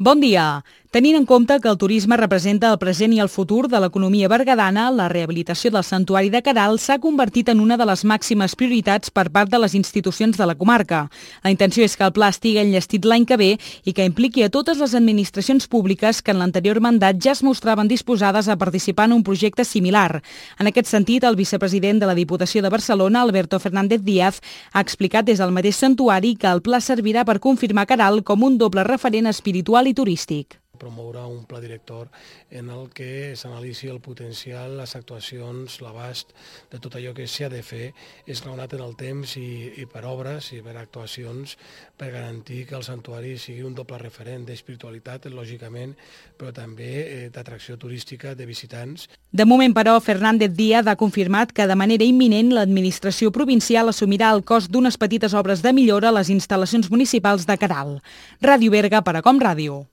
Bon dia. Tenint en compte que el turisme representa el present i el futur de l'economia berguedana, la rehabilitació del santuari de Queralt s'ha convertit en una de les màximes prioritats per part de les institucions de la comarca. La intenció és que el pla estigui enllestit l'any que ve i que impliqui a totes les administracions públiques que en l'anterior mandat ja es mostraven disposades a participar en un projecte similar. En aquest sentit, el vicepresident de la Diputació de Barcelona, Alberto Fernández Díaz, ha explicat des del mateix santuari que el pla servirà per confirmar Queralt com un doble referent espiritual i turístic. Promoure un pla director en el que s'analitzi el potencial, les actuacions, l'abast de tot allò que s'ha de fer esglaonat en el temps i per obres i per actuacions per garantir que el santuari sigui un doble referent d'espiritualitat, lògicament, però també d'atracció turística de visitants. De moment, però, Fernández Díaz ha confirmat que de manera imminent l'administració provincial assumirà el cost d'unes petites obres de millora a les instal·lacions municipals de Queralt. Ràdio Berga per a Com Ràdio.